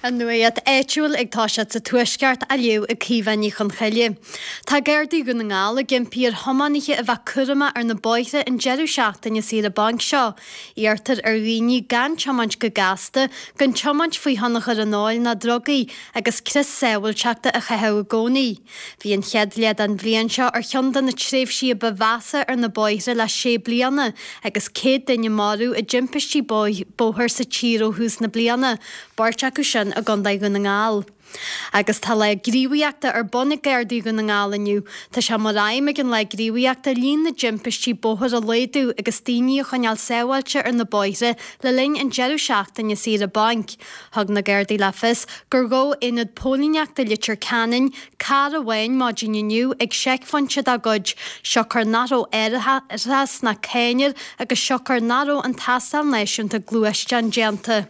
An nuacht áitiúil ag toiseacht sa Tuaisceart á léamh ag Caoimhe Ní Chonchoille. Tá Gardaí Dhún na nGall ag impí ar thiománaithe a bheith cúramach ar na bóithre an deireadh seachtaine saoire bainc seo. Iarrtar ar dhaoine gan tiomáint go gasta, gan tiomáint faoi thionchar an óil ná drugaí agus crios sábháilteachta a chaitheamh i gcónaí. Bhí an chéad leath den bhliain seo ar cheann de na tréimhsí a ba mheasa ar na bóithre le sé bliana agus 100 duine marbh i dtimpistí bóthair sa tír ó thús na bliana, beirt acu sin i gContae Dhún na nGall. Agus tá lá gníomhaíochta ar bun ag Gardaí Dhún na nGall inniu. Tá sé mar aidhm ag an lá gníomhaíochta líon na dtimpistí bóthair a laghdú agus daoine a choinneáil sábháilte ar na bóithre le linn an deireadh seachtaine saoire bainc. Thug na Gardaí le fios gur ghabh Aonad Póilíneachta Leitir Ceanainn carr amháin maidin inniu ag seicphointe dá gcuid, siocair nach raibh árachas ná cáin air agus siocair nach raibh an tástáil náisiúnta gluaisteán déanta.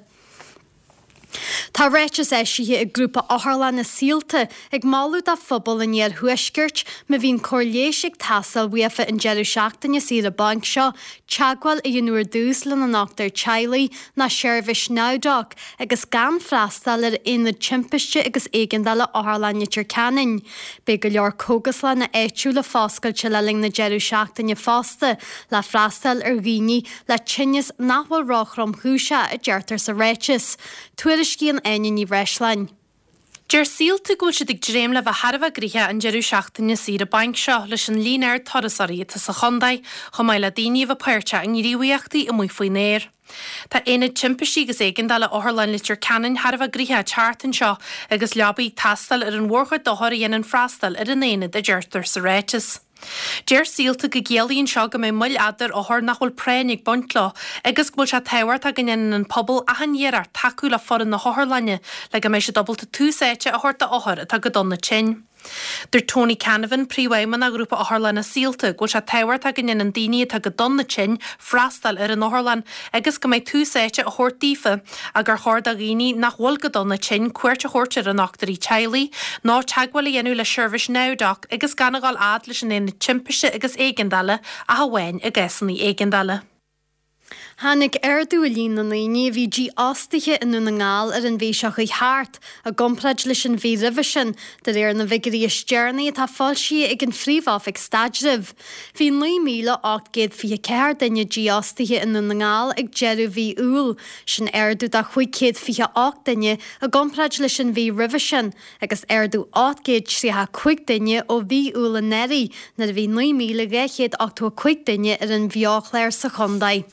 Tá ráiteas eisithe ag grúpa otharlanna Saolta ag moladh do phobal an iarthuaiscirt, má bhíonn cóir leighis ag teastáil uafa an deireadh seachtaine saoire bainc seo, teagmháil a dhéanamh ar dtús lena ndochtúir teaghlaigh ná seirbhís NowDoc agus gan freastal ar Aonad Timpiste agus Éigeandála Otharlann Leitir Ceanainn. Beidh go leor cógaslanna áitiúla foscailte le linn na deireadh seachtaine fosta le freastal ar dhaoine le tinneas nach bhfuil ró-thromchúiseach, a deirtear sa ráiteas. Tuairiscíonn Áine Ní Bhreisleáin. Deir Saolta go bhfuil siad ag dréim le bheith thar a bheith gnoitheach an deireadh seachtaine saoire bainc seo leis an líon ard turasóirí atá sa chontae, chomh maith le daoine a bheith páirteach i ngníomhaíochtaí amuigh faoin aer. Tá Aonad Timpistí agus Éigeandála Otharlann Leitir Ceanainn thar a bheith gnoitheach an tseachtain seo agus leabaí ag teastáil ar an mhórchuid d'othair a dhéanann freastal ar an aonad, a deirtear sa ráiteas. Deir Saolta go gciallaíonn seo go mbeidh moill fhada ar othair nach bhfuil práinn ag baint leo agus go bhfuil sé tábhachtach go ndéanann an pobal achan iarracht tacú le foireann na hotharlainne le go mbeidh siad ábalta tús áite a thabhairt d'othair atá go dona tinn. Dúirt Tony Canavan, Príomhfheidhmeannach Ghrúpa Otharlanna Saolta, go bhfuil sé tábhachtach go ndéanann daoine atá go dona tinn freastal ar an otharlann agus go mbeidh tús áite á thabhairt daofa ach gur chóir do dhaoine nach bhfuil go dona tinn cuairt a thabhairt ar a ndochtúirí teaghlaigh nó teagmháil a dhéanamh le seirbhís NowDoc agus gan a dhul fhad leis an Aonad Timpiste agus Éigeandála ach amháin i gcásanna éigeandála. Tháinig ardú i líon na ndaoine a bhí dífhostaithe i nDún na nGall ar an mhí seo chuaigh thart, i gcomparáid leis an mhí roimhe sin, de réir na bhfigiúirí is deireanaí atá foilsithe ag an Phríomh-Oifig Staidrimh. Bhí 9,824 duine dífhostaithe i nDún na nGall ag deireadh mhí Iúil, sin ardú de 528 duine i gcomparáid leis an mhí roimhe sin, agus ardú 835 duine ó mhí Iúil anuraidh nuair a bhí 9,285 duine ar an bheo-chlár sa chontae.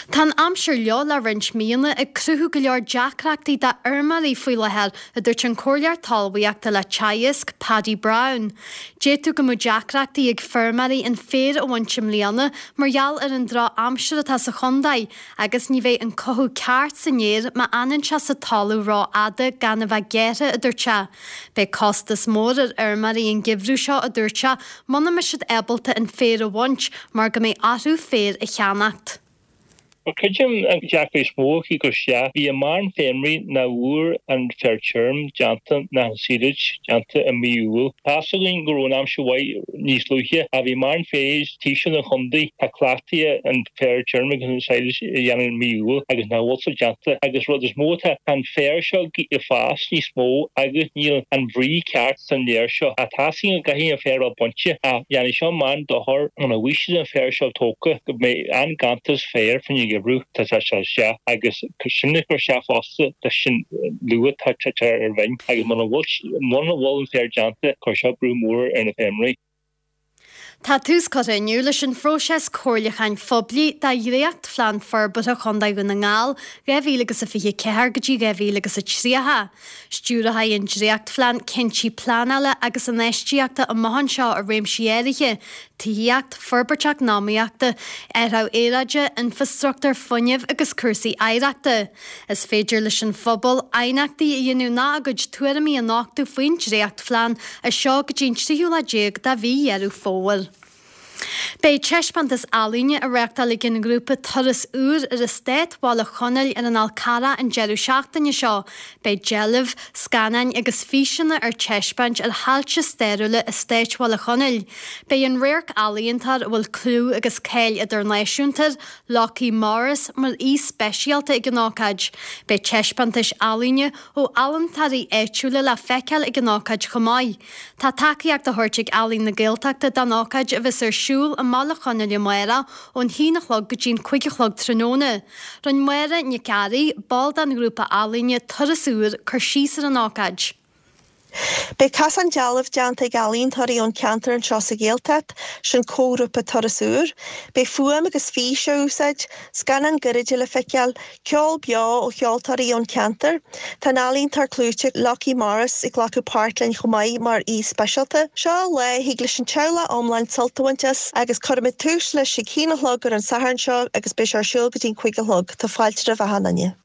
Tá an aimsir fhliuch le roinnt míonna ag cruthú go leor deacrachtaí do fheirmeoirí faoi láthair, a dúirt an Comhairleoir Talmhaíochta le Teagasc, Paddy Browne. D'fhéadfadh go mbeadh deacrachtaí ag feirmeoirí an féar a bhaint i mbliana mar gheall ar an droch-aimsir atá sa chontae Agus ní bheidh an cothú ceart san fhéar má fhanann sé sa talamh rófhada gan a bheith gearrtha, a dúirt sé. Beidh costas mór ar fheirmeoirí an geimhreadh seo, a dúirt sé, muna mbeidh siad ábalta an féar a bhaint mar go mbeidh orthu féar a cheannacht. Creidim an deacracht is mó acu gur sea, bhí a mórán feirmeoirí nach bhfuair an féar tirim déanta ná an silage déanta i mí Iúil. Tá's againn go raibh an aimsir mhaith níos luaithe ach bhí mórán féar taobh siar den chontae, tá cleachtaithe an féar tirim agus an silage a dhéanamh i mí Iúil agus nach bhfuil sé déanta agus rud is mó atá, tá an féar seo ag fás níos mó agus níl an bhrí ceart san fhéar seo. Ach tá's againn go gcaithfidh an féar a bheith bainte ach dhéanfaidh seo mórán dochair muna bhfaighidh siad an féar seo tógtha go mbeidh an-ganntanas féir faoin gheimhreadh tá sé isteach agus sin ag cur isteach fosta leis an luath atá ar an bhinn agus muna bhfuil an féar déanta cuirfidh seo brú mór ar na feirmeoirí. Tá tús curtha inniu leis an phróiseas comhairliúcháin phoiblí do Dhréacht-Phlean Forbartha Chontae Dhún na nGall 2024 go dtí 2030. Stiúrfaidh an dréachtphlean cinntí pleanála agus infheistíochta amach anseo i réimsí áirithe, tithíocht, forbairt eacnamaíochta, athrú aeráide, infreastruchtúr fuinnimh agus cúrsaí oidhreachta. Is féidir leis an phobal aighneachtaí a dhéanamh ná a gcuid tuairimí a nochtadh faoin dréachtphlean as seo go dtí an tríú lá déag de mhí Dheireadh Fómhair. Beidh taispeántas ealaíne á reáchtáil ag an ngrúpa Turas Úr ar Eastát Bhaile Chonaill ar an Fhál Carrach an deireadh seachtaine seo. Beidh deilbh, scannáin agus físeanna ar taispeáint ar thailte stairiúla Eastáit Bhaile Chonaill. Beidh an radharc-ealaíontóir a bhfuil clú agus cáil idirnáisiúnta air, Lockie Morris, mar aoi speisialta ag an ócáid. Beidh taispeántais ealaíne ó ealaíontóirí áitiúla le feiceáil ag an ócáid chomh maith. Tá tacaíocht á thabhairt ag Ealaín na Gaeltachta don ócáid a bheas ar siúl i mBaile Chonaill amárach ón haon a chlog go dtí'n cuig a chlog tráthnóna. Rinne Máire Nic Fhearraigh, ball den ghrúpa ealaíne Turas Úr, cur síos ar an ócáid. Beidh casán dealbh déanta ag ealaíontóirí ón cheantar anseo sa Ghaeltacht, sin comhghrúpa Turas Úr. Beidh fuaim agus fís á úsáid, scannáin gairide le feiceáil, Ceol beo ó cheoltóirí ón cheantar. Tá an ealaíontóir clúiteach Lockie Morris ag glacadh páirt linn chomh maith mar aoi speisialta. Seo lá a thig leis an teaghlach iomlán sult a bhaint as agus cuirfimid tús leis ag haon a chlog ar an Satharn seo agus beidh sé ar siúl go dtí'n cuig a chlog. Tá fáilte roimh achan duine.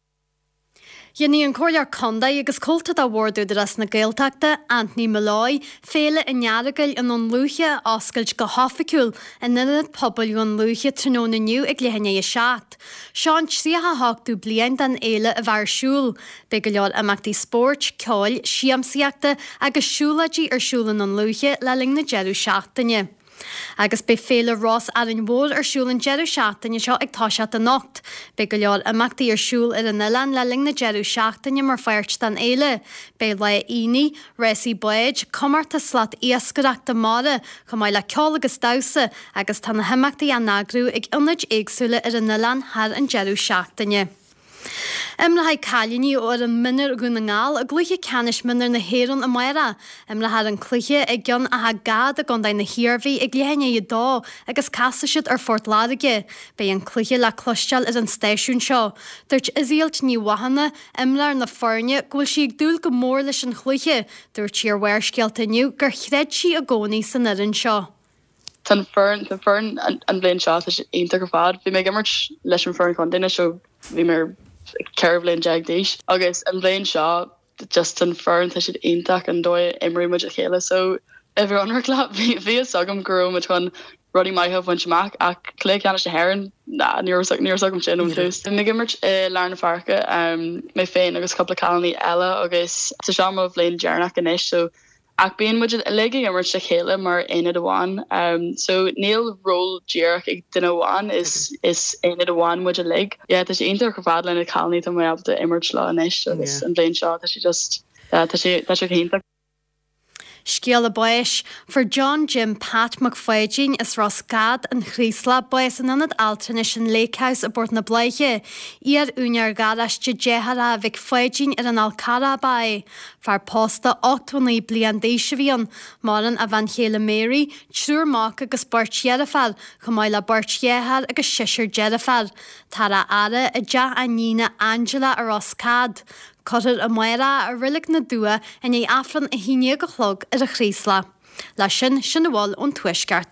Dhéanfaidh an Comhairleoir Contae agus Comhalta de Bhord Údarás na Gaeltachta, Anthony Molloy, Féile an Earagail i nDún Lúiche a oscailt go hoifigiúil in Ionad Pobail Dhún Lúiche tráthnóna inniu ag leath i ndiaidh a 7. Seo an 38ú bliain den fhéile a bheith ar siúl. Beidh go leor imeachtaí spóirt, ceoil, siamsaíochta agus siúlóidí ar siúl i nDún Lúiche le linn na deireadh seachtaine. Agus beidh Féile Rós Árainn Mhór ar siúl an deireadh seachtaine seo ag toiseacht anocht. Beidh go leor imeachtaí ar siúl ar an oileán le linn na deireadh seachtaine mar pháirt den fhéile. Beidh lá aonaigh, rásaí báid, comórtas slat iascaireachta mara, chomh maith le ceol agus damhsa, agus tá na himeachtaí á n-eagrú ag ionaid éagsúla ar an oileán thar an deireadh seachtaine. Imreoidh cailíní ó fhoireann mionúir Dhún na nGall i gcluiche ceannais mionúir na hÉireann amárach. Imreofar an cluiche i gCeann Átha Gad i gContae na hIarmhí ag leath i ndiaidh a dó agus casfaidh siad ar Phort Láirge. Beidh an cluiche le cloisteáil ar an stáisiún seo. Dúirt Iseult Ní Mhathúna, imreoir na foirne, go bhfuil sí ag dúil go mór leis an chluiche. Dúirt sí ar Bharrscéalta inniu gur chreid sí i gcónaí san fhoireann seo. Tá an foireann, tá an foireann an bhliain seo, tá sé iontach ar fad. Bhí mé ag imirt leis an foireann chontae anois ó bhí mé 14 bhliain d'aois agus an bhliain seo just an foireann tá siad iontach an dóigh a imríonn muid le chéile so a bheith ionraic leat bhí bhí fhios agam go raibh muid chun rudaí maithe a bhaint amach ach cluiche ceannais na hÉireann ná ní raibh ní raibh fhios agam sin ón tús. Bhí mé ag imirt i lár na páirce mé féin agus cúpla cailíní eile agus tá seo mo bhliain deireanach anois so ach bíonn muid uilig ag imirt le chéile mar aonad amháin so níl ról díreach ag duine amháin is is aonad amháin muid uilig. Yeah tá sé iontach ar fad le na cailíní tá mé ábalta imirt leo anois agus an bhliain seo tá sé just yeah tá sé tá sé go hiontach. Scéala báis. Fuair John Jim Pat Mac Pháidín as Ros Gad, An Chraoslach, bás in Ionad Altranais an Lake House i bPort na Bláiche. Iar-úinéir gharáiste deartháireacha Mhic Pháidín ar an Fhál Carrach ab ea é. Fear pósta 89 bliain d'aois a bhí ann. Maireann a bhean chéile Mary, triúr mac agus beirt dheirféar, chomh maith le beirt dheartháir agus seisear deirféar. Táthar á fhaire i dteach a iníne Angela i Ros Cad. Cuirfear amárach i Reilig na dTuath i ndiaidh Aifreann 11 a chlog ar an Chraoslach. Leis sin, sin a bhfuil ón Tuaisceart.